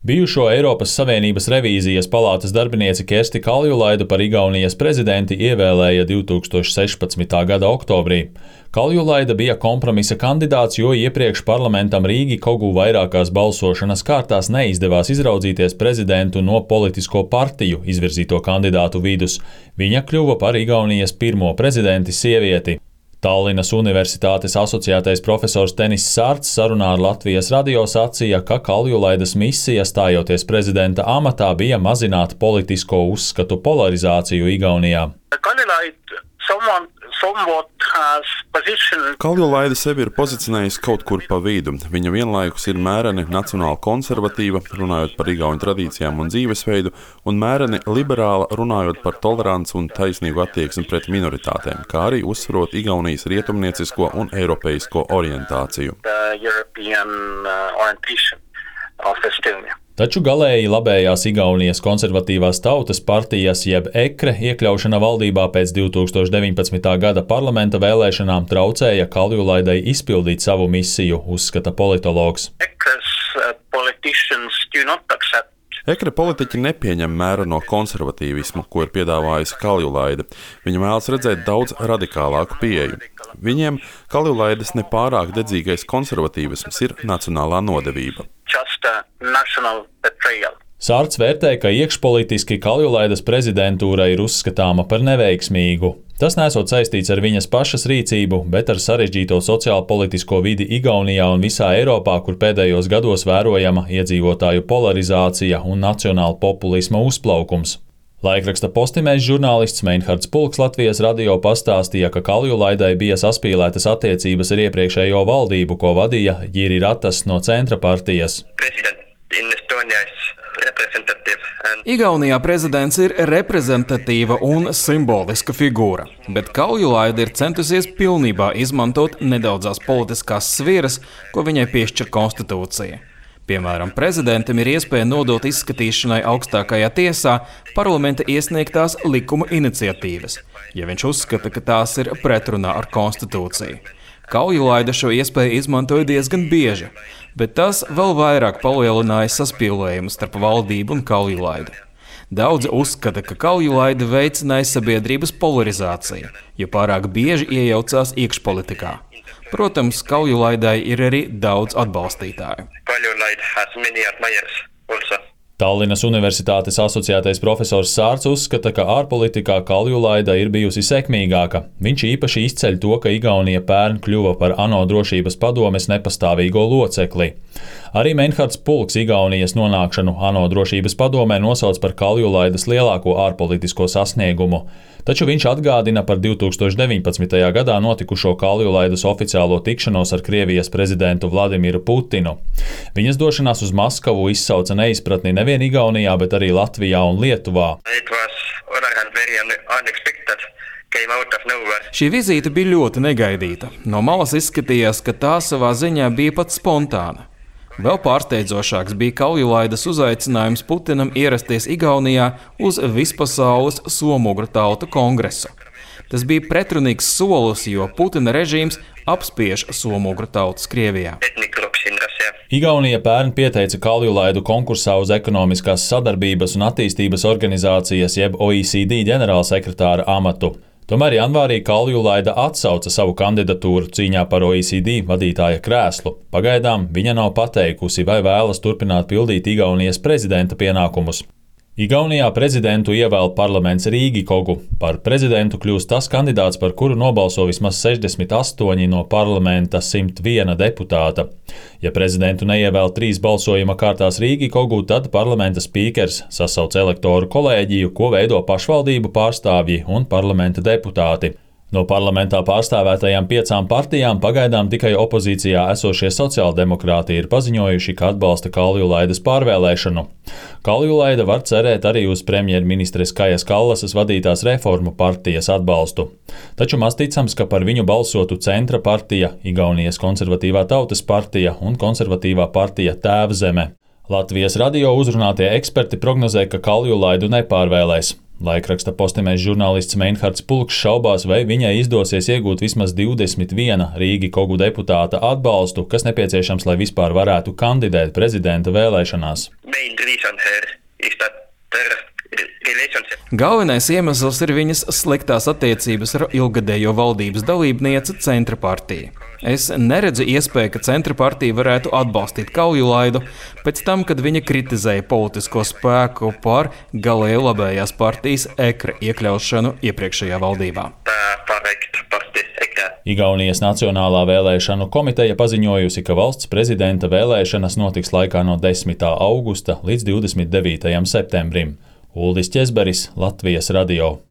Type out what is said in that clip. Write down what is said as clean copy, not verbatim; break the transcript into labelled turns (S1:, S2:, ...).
S1: Bijušo Eiropas Savienības revīzijas palātas darbinieci Kersti Kaljulaidu par Igaunijas prezidenti ievēlēja 2016. gada oktobrī. Kaljulaida bija kompromisa kandidāts, jo iepriekš parlamentam Rīgi Kogu vairākās balsošanas kārtās neizdevās izraudzīties prezidentu no politisko partiju izvirzīto kandidātu vidus. Viņa kļuva par Igaunijas pirmo prezidenti sievieti. Tallinas Universitātes asociētais profesors Tenis Sārts sarunā ar Latvijas radio sacīja, ka Kaljulaidas misija stājoties prezidenta amatā bija mazināt politisko uzskatu polarizāciju Igaunijā.
S2: Kaljulaida sevi ir pozicionējusi kaut kur pa vidu. Viņa vienlaikus ir mēreni nacionāli konservatīva, runājot par igauņu tradīcijām un dzīvesveidu, un mēreni liberāla, runājot par toleranci un taisnīgu attieksmi pret minoritātēm, kā arī uzsverot Igaunijas rietumniecisko un eiropeisko orientāciju.
S1: Taču galēji labējās Igaunijas konservatīvās tautas partijas jeb EKRE iekļaušana valdībā pēc 2019. gada parlamenta vēlēšanām traucēja Kaljulaidai izpildīt savu misiju, uzskata politologs.
S2: EKRE politiķi nepieņem mēreno konservatīvismu, ko ir piedāvājusi Kaljulaida. Viņa vēlas redzēt daudz radikālāku pieeju. Viņiem Kaljulaidas nepārāk dedzīgais konservatīvisms ir nacionālā nodevība.
S1: Sārts vērtē, ka iekšpolitiski Kaljulaidas prezidentūra ir uzskatāma par neveiksmīgu. Tas nesot saistīts ar viņas pašas rīcību, bet ar sarežģīto sociālpolitisko vidi Igaunijā un visā Eiropā, kur pēdējos gados vērojama iedzīvotāju polarizācija un nacionāla populisma uzplaukums. Laikraksta Postimēs žurnālists Meinhards Pulks Latvijas radio pastāstīja, ka Kaljulaidai bija saspīlētas attiecības ar iepriekšējo valdību, ko vadīja Jiri Ratas no Centra partijas.
S3: Igaunijā prezidents ir reprezentatīva un simboliska figūra, bet Kaljulaida ir centusies pilnībā izmantot nedaudzās politiskās sviras, ko viņai piešķir konstitūcija. Piemēram, prezidentam ir iespēja nodot izskatīšanai augstākajā tiesā parlamenta iesniegtās likuma iniciatīvas, ja viņš uzskata, ka tās ir pretrunā ar konstitūciju. Kaljulaida šo iespēju izmantoja diezgan bieži, bet tas vēl vairāk palielināja saspīlējumu starp valdību un Kaljulaidu. Daudzi uzskata, ka Kaljulaida veicināja sabiedrības polarizāciju, jo pārāk bieži iejaucās iekšpolitikā. Protams, Kaljulaidai ir arī daudz atbalstītāju.
S1: Tallinas Universitātes asociētais profesors Sārts uzskata, ka ārpolitikā Kaljulaida ir bijusi sekmīgāka. Viņš īpaši izceļ to, ka Igaunija pērn kļuva par ANO drošības padomes nepastāvīgo locekli. Arī Meinhards Pulks Igaunijas nonākšanu ANO drošības padomē nosauc par Kaljulaidas lielāko ārpolitisko sasniegumu. Taču viņš atgādina par 2019. gadā notikušo Kaljulaidas oficiālo tikšanos ar Krievijas prezidentu Vladimiru Putinu. Viņas došanās uz Maskavu izsauca neizpratni nevien Igaunijā, bet arī Latvijā un Lietuvā.
S3: Šī vizīte bija ļoti negaidīta. No malas izskatījās, ka tā savā ziņā bija pat spontāna. Vēl pārsteidzošāks bija Kaljulaidas uzaicinājums Putinam ierasties Igaunijā uz vispasaules somugru tautu kongresu. Tas bija pretrunīgs solis, jo Putina režīms apspiež somugru tautas Krievijā.
S1: Igaunija pērn pieteica Kaljulaidu konkursā uz ekonomiskās sadarbības un attīstības organizācijas jeb OECD ģenerālsekretāra amatu. Tomēr janvārī Kaljulaida atsauca savu kandidatūru cīņā par OECD vadītāja krēslu. Pagaidām viņa nav pateikusi, vai vēlas turpināt pildīt Igaunijas prezidenta pienākumus. Igaunijā prezidentu ievēl parlaments Rīgi Kogu. Par prezidentu kļūst tas kandidāts, par kuru nobalso vismaz 68 no parlamenta 101 deputāta. Ja prezidentu neievēl 3 balsojuma kārtās Rīgi Kogu, tad parlamenta spīkers sasauc elektoru kolēģiju, ko veido pašvaldību pārstāvji un parlamenta deputāti. No parlamentā pārstāvētajām 5 partijām pagaidām tikai opozīcijā esošie sociāldemokrāti ir paziņojuši, ka atbalsta Kaljulaidas pārvēlēšanu. Kaljulaida var cerēt arī uz premjerministres Kajas Kallasas vadītās reformu partijas atbalstu. Taču maz ticams, ka par viņu balsotu Centra partija, Igaunijas konservatīvā tautas partija un konservatīvā partija Tēvzeme. Latvijas radio uzrunātie eksperti prognozē, ka Kaljulaidu nepārvēlēs. Laikraksta Postimēs žurnālists Meinhards Pulks šaubās, vai viņai izdosies iegūt vismaz 21 Rīgi Kogu deputāta atbalstu, kas nepieciešams, lai vispār varētu kandidēt prezidenta vēlēšanās.
S3: Galvenais iemesls ir viņas sliktās attiecības ar ilgadējo valdības dalībnieci Centra partiju. Es neredzu iespēju, ka Centra partija varētu atbalstīt Kaljulaidu pēc tam, kad viņa kritizēja politisko spēku par galēji labējās partijas EKRA iekļaušanu iepriekšējā valdībā.
S1: Igaunijas Nacionālā vēlēšanu komiteja paziņojusi, ka valsts prezidenta vēlēšanas notiks laikā no 10. augusta līdz 29. septembrim. Uldis Ķezberis, Latvijas radio.